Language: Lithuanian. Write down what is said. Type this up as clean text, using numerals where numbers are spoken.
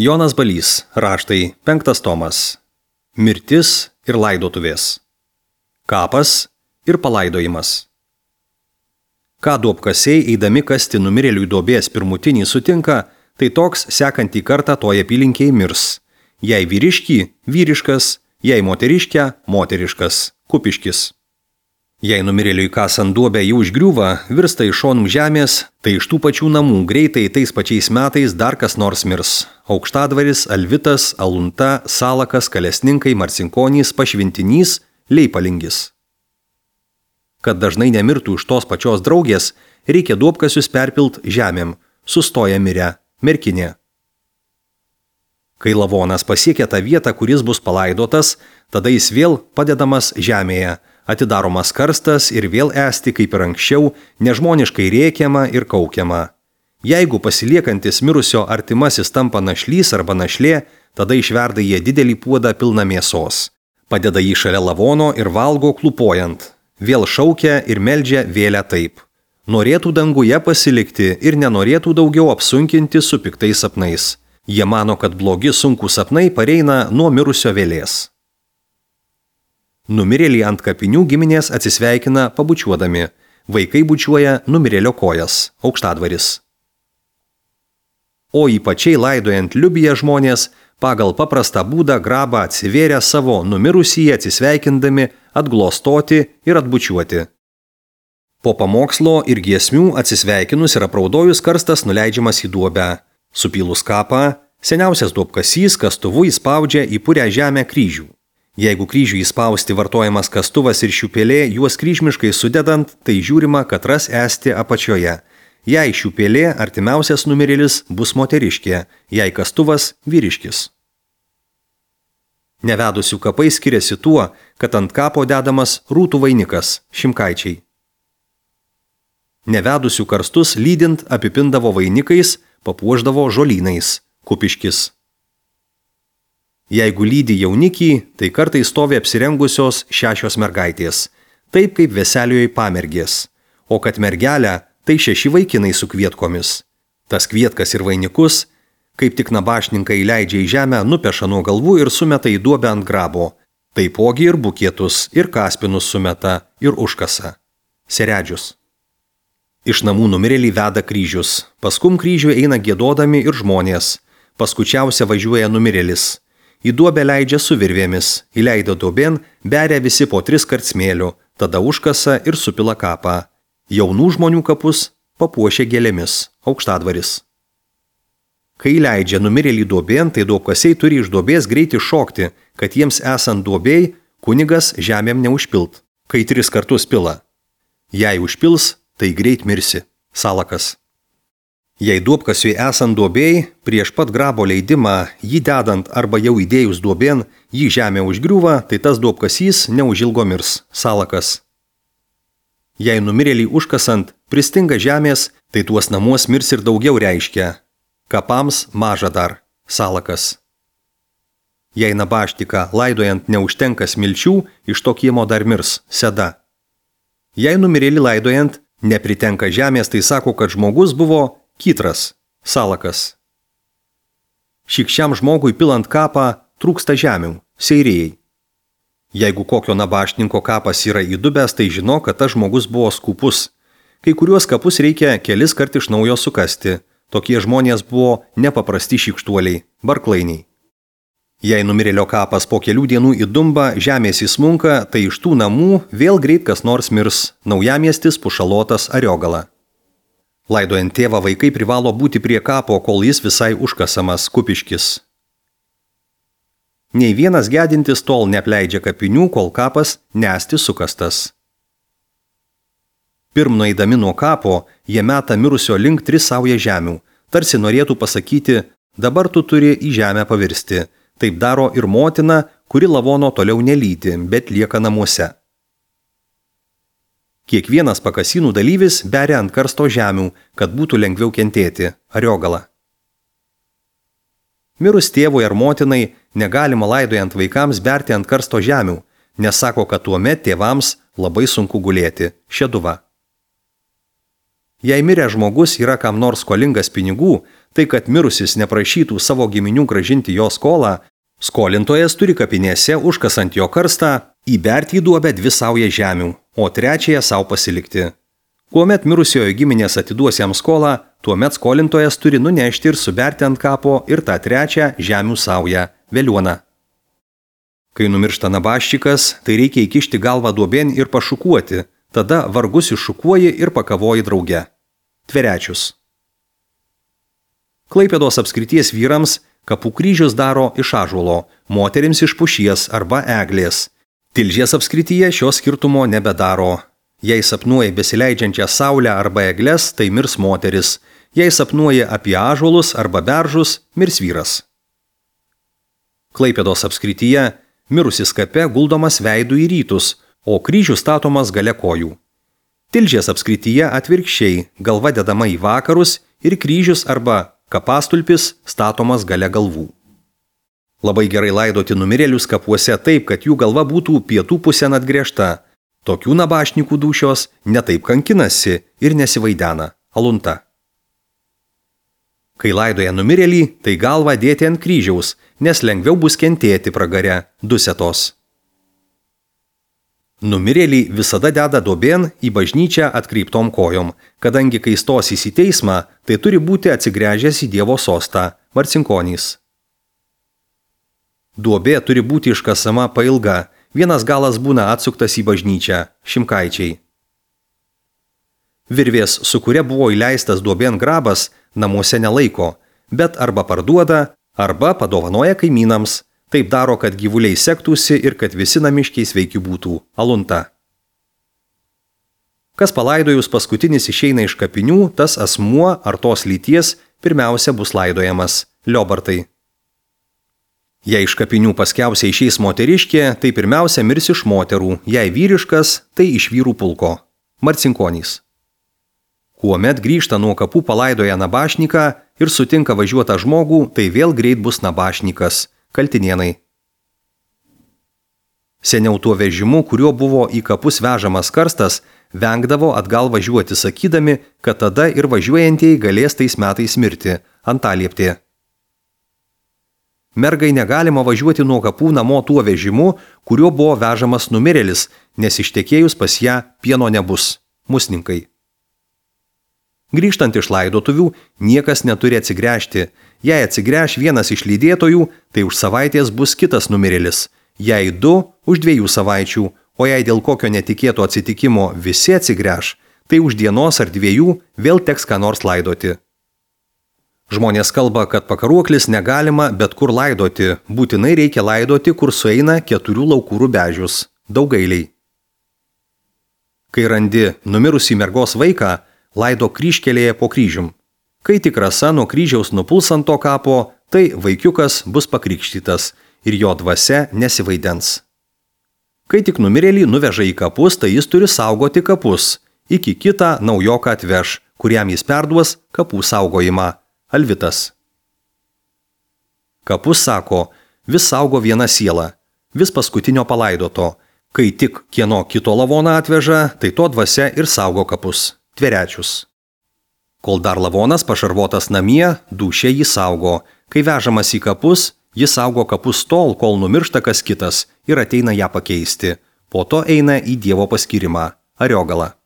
Jonas Balys, raštai, 5 tomas. Mirtis ir laidotuvės. Kapas ir palaidojimas. Ką duobkasiai eidami kasti numirėliui duobės pirmutinį sutinka, tai toks sekantį kartą toje apylinkėje mirs. Jei vyriškį – vyriškas, jei moteriškę – moteriškas, kupiškis. Jei numirėliui kasant duobę jau užgriūva, virsta iš šonų žemės, tai iš tų pačių namų greitai tais pačiais metais dar kas nors mirs. Aukštadvaris, Alvitas, Alunta, Salakas, Kalesninkai, Marcinkonys, Pašvintinys, Leipalingis. Kad dažnai nemirtų iš tos pačios draugės, reikia duobkasius perpilt žemėm, sustoja mirę, merkinė. Kai lavonas pasiekia tą vietą, kuris bus palaidotas, tada jis vėl padedamas žemėje, atidaromas karstas ir vėl esti kaip ir anksčiau, nežmoniškai rėkiama ir kaukiama. Jeigu pasiliekantis mirusio artimasis tampa našlys arba našlė, tada išverda jie didelį puodą pilną mėsos. Padeda jį šalia lavono ir valgo klupojant. Vėl šaukia ir meldžia vėlę taip. Norėtų danguje pasilikti ir nenorėtų daugiau apsunkinti su piktais sapnais. Jie mano, kad blogi sunkūs sapnai pareina nuo mirusio vėlės. Numirėlį ant kapinių giminės atsisveikina pabučiuodami. Vaikai bučiuoja numirėlio kojas, aukštadvaris. O ypačiai laidojant liubiją žmonės pagal paprastą būdą grabą atsivėrę savo numirusįjį atsisveikindami atglostoti ir atbučiuoti. Po pamokslo ir giesmių atsisveikinus ir apraudojus karstas nuleidžiamas į duobę. Supylus kapą, seniausias duobkasys kastuvu įspaudžia į purią žemę kryžių. Jeigu kryžių įspausti vartojamas kastuvas ir šiupelė, juos kryžmiškai sudedant, tai žiūrima, kad ras esti apačioje. Jei šiupelė, artimiausias numirėlis bus moteriškė, jei kastuvas – vyriškis. Nevedusių kapai skiriasi tuo, kad ant kapo dedamas rūtų vainikas – šimkaičiai. Nevedusių karstus lydint apipindavo vainikais, papuošdavo žolynais – kupiškis. Jeigu lydi jaunikį, tai kartai stovi apsirengusios 6 mergaitės, taip kaip veselijoje pamergės, o kad mergelę, tai 6 vaikinai su kvietkomis. Tas kvietkas ir vainikus, kaip tik nabašninkai leidžia į žemę, nupeša nuo galvų ir sumeta į duobę ant grabo, taipogi ir bukietus, ir kaspinus sumeta, ir užkasa. Seredžius. Iš namų numirėlį veda kryžius, paskum kryžių eina giedodami ir žmonės, paskučiausia važiuoja numirėlis. Į duobę leidžia su virvėmis, įleido duobėn, beria visi po 3 kart smėlių, tada užkasa ir supila kapą. Jaunų žmonių kapus papuošia gėlėmis, aukštadvaris. Kai leidžia numirėlį duobėn, tai duobkasiai turi iš duobės greitai šokti, kad jiems esant duobėj, kunigas žemėm neužpilt, kai 3 kartus pila. Jei užpils, tai greit mirsi, Salakas. Jei duobkasiui esant duobėj, prieš pat grabo leidimą, jį dedant arba jau įdėjus duobėn, jį žemė užgriūva, tai tas duobkasys neužilgo mirs, Salakas. Jei numirėlį užkasant pristinga žemės, tai tuos namuos mirs ir daugiau reiškia. Kapams maža dar, Salakas. Jei nabaštiką laidojant neužtenka smilčių, iš to kiemo dar mirs, Seda. Jei numirėlį laidojant nepritenka žemės, tai sako, kad žmogus buvo Kytras, Salakas. Šikščiam žmogui pilant kapą trūksta žemių, seirėjai. Jeigu kokio nabaštininko kapas yra įdubęs, tai žino, kad tas žmogus buvo skūpus. Kai kuriuos kapus reikia kelis kart iš naujo sukasti. Tokie žmonės buvo nepaprasti šykštuoliai, barklainiai. Jei numirėlio kapas po kelių dienų įdumba, žemės įsmunka, tai iš tų namų vėl greit kas nors mirs, Naujamiestis, Pušalotas, Ariogala. Laidojant tėvą vaikai privalo būti prie kapo, kol jis visai užkasamas, kupiškis. Nei vienas gedintis tol neapleidžia kapinių, kol kapas nesti sukastas. Pirm nueidami nuo kapo, jie meta mirusio link 3 saują žemių, tarsi norėtų pasakyti, dabar tu turi į žemę pavirsti. Taip daro ir motina, kuri lavono toliau nelydi, bet lieka namuose. Kiekvienas pakasynų dalyvis beria ant karsto žemių, kad būtų lengviau kentėti, Ariogala. Mirus tėvui ar motinai negalima laidojant vaikams berti ant karsto žemių, nes sako, kad tuomet tėvams labai sunku gulėti, Šeduva. Jei miręs žmogus yra kam nors skolingas pinigų, tai kad mirusis neprašytų savo giminių gražinti jo skolą, skolintojas turi kapinėse užkasant jo karstą įberti į duobę 2 saujas žemių, o 3 savo pasilikti. Kuomet mirusiojo giminės atiduos jam skolą, tuomet skolintojas turi nunešti ir suberti ant kapo ir tą 3 žemių saują – veliuoną. Kai numiršta nabaščikas, tai reikia įkišti galvą duobėn ir pašukuoti, tada vargus iššukuoji ir pakavoji drauge. Tverečius. Klaipėdos apskrities vyrams kapų kryžius daro iš ąžuolo, moterims iš pušies arba eglės. Tilžės apskrityje šio skirtumo nebedaro. Jei sapnuoji besileidžiančią saulę arba egles, tai mirs moteris. Jei sapnuoji apie ąžuolus arba beržus, mirs vyras. Klaipėdos apskrityje mirusis kape guldomas veidu į rytus, o kryžius statomas gale kojų. Tilžės apskrityje atvirkščiai galva dedama į vakarus ir kryžius arba kapastulpis statomas gale galvų. Labai gerai laidoti numirėlius kapuose taip, kad jų galva būtų pietų pusėn atgręžta. Tokių nabašnikų dūšios netaip kankinasi ir nesivaidena. Alunta. Kai laidoja numirėlį, tai galvą dėti ant kryžiaus, nes lengviau bus kentėti pragare, dusetos. Numirėlį visada deda duobėn į bažnyčią atkreiptom kojom, kadangi kai stosis į teismą, tai turi būti atsigręžęs į Dievo sostą, Marcinkonys. Duobė turi būti iškasama pailga, vienas galas būna atsuktas į bažnyčią, Šimkaičiai. Virvės, su kuria buvo įleistas duobėn grabas, namuose nelaiko, bet arba parduoda, arba padovanoja kaimynams. Taip daro, kad gyvuliai sektųsi ir kad visi namiškiai sveiki būtų. Alunta. Kas palaidojus paskutinis išeina iš kapinių, tas asmuo ar tos lyties pirmiausia bus laidojamas. Liobartai. Jei iš kapinių paskiausiai išeis moteriškė, tai pirmiausia mirs iš moterų, jei vyriškas, tai iš vyrų pulko. Marcinkonys. Kuomet grįžta nuo kapų palaidoja nabašniką ir sutinka važiuotą žmogų, tai vėl greit bus nabašnikas. Kaltinėnai. Seniau tuo vežimu, kuriuo buvo į kapus vežamas karstas, vengdavo atgal važiuoti sakydami, kad tada ir važiuojantieji galės tais metais mirti, antalieptė. Mergai negalima važiuoti nuo kapų namo tuo vežimu, kuriuo buvo vežamas numirėlis, nes ištekėjus pas ją pieno nebus. Musninkai. Grįžtant iš laidotuvių, niekas neturi atsigręžti. Jei atsigręš vienas iš lydėtojų, tai už savaitės bus kitas numirėlis. Jei 2, už 2 savaičių, o jei dėl kokio netikėto atsitikimo visi atsigręš, tai už dienos ar 2 vėl teks ką nors laidoti. Žmonės kalba, kad pakaruoklis negalima bet kur laidoti, būtinai reikia laidoti, kur sueina 4 laukų rubežius. Daugailiai. Kai randi numirusį mergos vaiką, laido kryžkelėje po kryžium. Kai tik rasa nuo kryžiaus nupuls ant to kapo, tai vaikiukas bus pakrikštytas ir jo dvasia nesivaidens. Kai tik numirėlį nuveža į kapus, tai jis turi saugoti kapus. Iki kitą naujoką atveš, kuriam jis perduos kapų saugojimą. Alvitas. Kapus sako, vis saugo viena siela, vis paskutinio palaidoto. Kai tik kieno kito lavoną atveža, tai to dvasia ir saugo kapus. Tverečius. Kol dar lavonas pašarvotas namie, dūšė jį saugo. Kai vežamas į kapus, jis saugo kapus tol, kol numiršta kas kitas ir ateina ją pakeisti. Po to eina į Dievo paskyrimą. Ariogala.